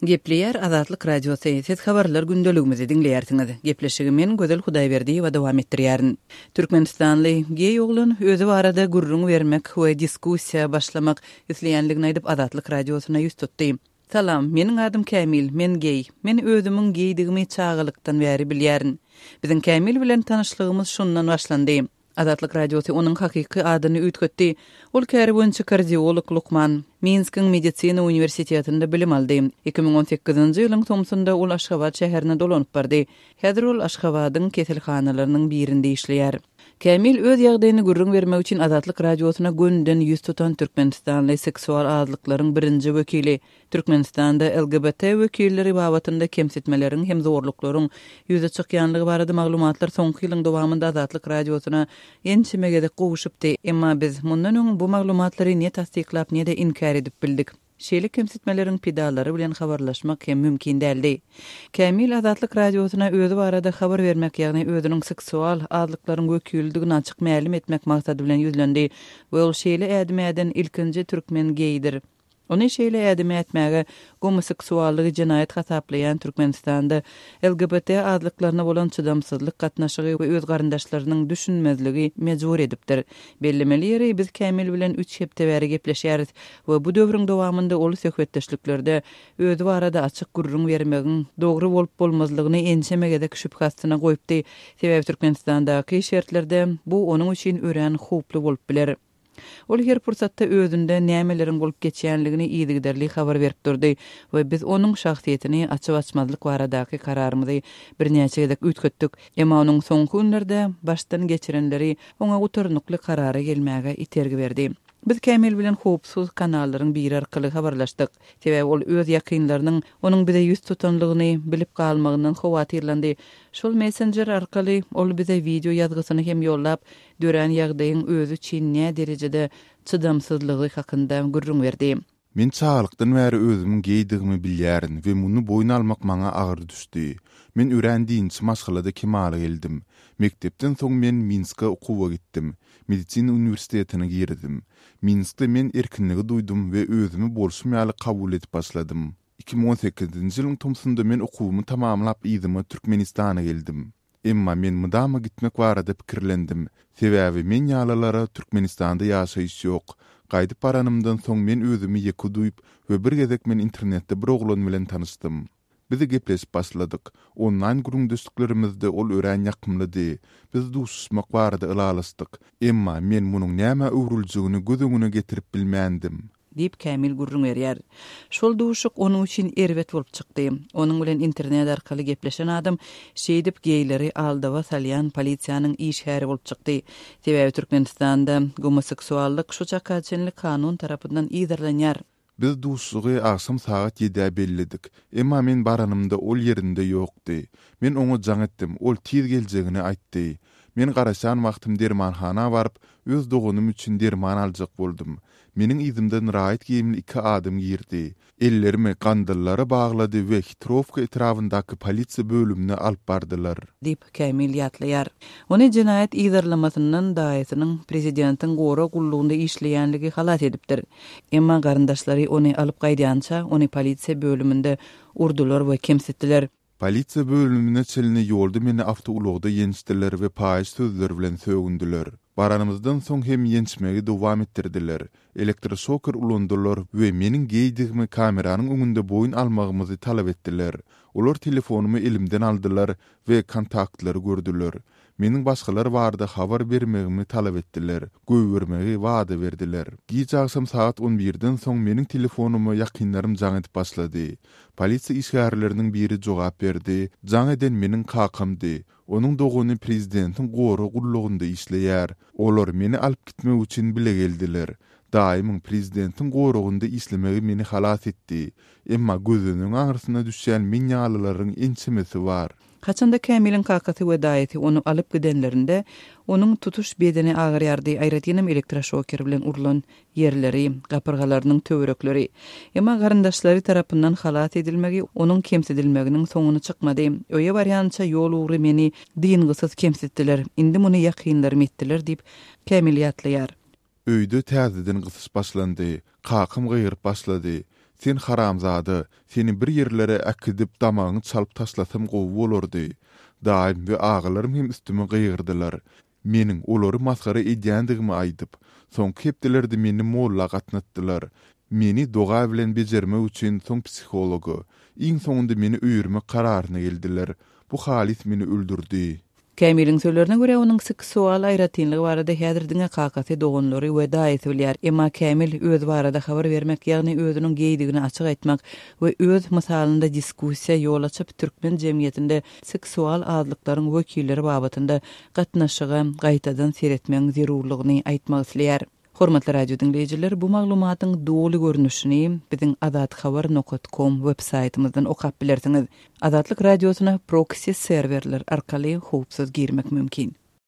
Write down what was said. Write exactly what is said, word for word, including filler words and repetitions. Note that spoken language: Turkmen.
Gepleýär Azatlyk Radiosy, siz habarlar gündeligimizi diňleýärsiňiz. Gepleşigi men Gözel Hudaýberdiýewa dowam etdirýärin. Türkmenistanly geý oglan özi barada gürrüň bermek we diskussiýa başlamak isleýänligini aýdyp Azatlyk Radiosyna ýüz tutdy. Salam, meniň adym Kämil, men geý. Men özümiň geýdigimi çagalykdan bäri bilýärin. Biziň Kämil bilen tanyşlygymyz şundan başlandy. Azatlyk Radiosy onuň hakyky adyny üýtgetdi. Ol käri boýunça kardiolog lukman. Minskiň medisina uniwersitetinde bilim aldy. Iki müň on sekizinji ýylyň tomsunda ol Aşgabat şäherine dolanyp bardy. Häzir ol Aşgabadyň keselhanalarynyň birinde işleýär. Kämil öz ýagdaýyny gürrüň bermek üçin Azatlyk Radiosyna gönden ýüz tutan türkmenistanly seksual azlyklaryň birinji wekili, Türkmenistanda L G B T wekilleri babatynda kemsitmeleriň hem zorluklaryň ýüze çykýanlygy barada maglumatlar soňky ýylyň dowamynda Azatlyk Radiosyna ençeme gezek gowuşypdy. Emma biz mundan öň bu maglumatlary ne tassyklap ne-de inkär edip bildik. Şeýle kemsitmeleriň pidalary bilen habarlaşmak hem mümkin däldi. Kämil Azatlyk Radiosyna özi barada habar bermek, ýagny özüniň seksual azlyklaryň wekilidigini açyk mälim etmek maksady bilen ýüzlendi we ol şeýle ädim äden ilkinji türkmen geýdir. Ony şeýle ädim ätmäge gomoseksuallygy jenaýat hasaplaýan Türkmenistanda L G B T azlyklaryna bolan çydamsyzlyk gatnaşygy we öz garyndaşlarynyň düşünmezligi mejbur edipdir. Bellemeli ýeri, biz Kämil bilen üç hepde bäri gepleşýäris we bu döwrüň dowamynda ol söhbetdeşliklerde özi barada açyk gürrüň bermegiň dogry bolup bolmazlygyny ençeme gezek şübhe astyna goýupdy. Sebäbi Türkmenistandaky şertlerde bu onuň üçin örän howply bolup biler. Ol her pursatda özünde nämeleriň bolup geçýänligini yzygiderli habar berip durdy we biz onuň şahsyýetini açyp açmazlyk baradaky kararymyzy birnäçe gezek üýtgetdik. Emma onuň soňky günlerde başdan geçirenleri oňa gutarnykly karara gelmäge itergi berdi. Biz Kämil bilen howpsuz kanallaryň biri arkaly habarlaşdyk. Sebäbi ol öz ýakynlarynyň onuň bize ýüz tutanlygyny bilip galmagyndan howatyrlandy. Şol messenger arkaly ol bize wideo ýazgysyny hem ýollap, dörän ýagdaýyň özi üçin nä derejede çydamsyzlygy hakynda gürrüň berdi. Men çagalykdan bäri özümiň geýdigimi bilýärin we muny boýun almak maňa agyr düşdi. Men örän dinçi maşgalada kemala geldim. Mekdepden soň men Minske okuwa gitdim. Medisina uniwersitetine girdim. Minskde men erkinligi duýdum we özümi bolşum ýaly kabul edip başladym. Iki müň on sekizinji ýylyň tomsunda men okuwymy tamamlap yzyma Türkmenistana geldim. Emma men mydama gitmek barada pikirlendim. Sebäbi men ýalylara Türkmenistanda ýaşaýyş ýok. Gaýdyp baranymdan soň men özümi ýeke duýup we bir gezek men internetde bir oglan bilen tanyşdym. Biz gepleşip başladyk. Onlaýn gürrüňdeşliklerimizde ol örän ýakymlydy. Biz duşuşmak barada ylalaşdyk. Emma men munuň näme öwrüljegini göz öňüne getirip bilmändim. Diýip Kämil gürrüň berýär. Şol duşuk onuň üçin erbet bolup çykdy. Onuň bilen internet arkaly gepleşen adam şeýdip geýleri aldawa salýan polisiýanyň işgäri bolup çykdy. Sebäbi Türkmenistanda gomoseksuallyk şu çaka çenli kanun tarapyndan yzarlanýar. Biz duşugy agşam sagat ýedä belledik. Emma men baranymda ol ýerinde ýokdy. Men oňa jaň etdim, ol tiz geljegini aýtdy. Men garaşan wagtym dermanhana baryp, öz doganym üçin derman aljak boldum. Meniň yzymdan raýat geýimli iki adam girdi. Ellerimi gandallara baglady we Hitrowka etrabyndaky polisiýa bölümine alyp bardylar. Diýip Kämil ýatlaýar. Ony jenaýat yzarlamasyndan daýysynyň prezidentiň gorag gullugynda işleýänligi halas edipdir. Emma garyndaşlary ony alyp gaýdýança ony polisiýa bölüminde urdular we kemsitdiler. Polisiýa bölümine çenli ýolda meni awtoulagda ýençdiler we paýyş sözler bilen sögündiler. Baranymyzdan soň hem ýençmegi dowam etdirdiler. Elektroşoker ulandylar we meniň geýdigimi kameranyň öňünde boýun almagymyzy talap etdiler. Olar telefonymy elimden aldylar we kontaktlary gördüler. Meniň başgalar barada habar bermegimi talap etdiler. Goýbermegi wada berdiler. Gije agşam sagat on birden soň meniň telefonyma ýakynlarym jaň edip başlady. Polisiýa işgärleriniň biri jogap berdi. Jaň eden meniň kakamdy. Onuň dogany prezidentiň gorag gullugynda işleýär. Olar meni alyp gitmek üçin bile geldiler. Daýymyň prezidentiň goragynda işlemegi meni halas etdi. Emma gözüniň aňrysyna düşýän men ýalylaryň ençemesi bar. Haçanda Kämiliň kakasy we daýysy ony alyp gidenlerinde onuň tutuş bedeni agyrýardy, aýratynam elektroşoker bilen urlan ýerleri, gapyrgalarynyň töwerekleri. Emma garyndaşlary tarapyndan halas edilmegi onuň kemsidilmeginiň soňuna çykmady. Öýe barýança ýol ugry meni dyngysyz kemsitdiler. Indi muny ýakynlarym etdiler diýip Kämil ýatlaýar. Öýde täzeden gysyş başlandy. Kakam gygyryp başlady. Sen haramzada, seni bir ýerlere äkidip damagyňy çalyp taşlasam gowy bolardy. Daýym we agalarym hem üstüme gygyrdylar. Meniň olary masgara edýändigimi aýdyp, soňky hepdelerde meni molla gatnatdylar. Meni doga bilen bejermek üçin soň psihologa. Iň soňunda meni öýermek kararyna geldiler. Bu halys meni öldürdi. Kämiliň sözlerine görä, onuň seksual aýratynlygy barada häzir diňe kakasy, doganlary we daýysy bilýär. Emma Kämil öz barada habar bermek, ýagny özüniň geýdigini açyk aýtmak we öz mysalynda diskussiýa ýol açyp, türkmen jemgyýetinde seksual azlyklaryň wekilleri babatynda gatnaşyga gaýtadan seretmegiň zerurlygyny aýtmak isleýär. Hormatly radio diňleýjiler, bu maglumatyň doly görnüşini biziň azathabar.com web saýtymyzdan okap bilersiňiz. Azatlyk radiosyna proxy serwerler arkaly howpsuz girmek mümkin.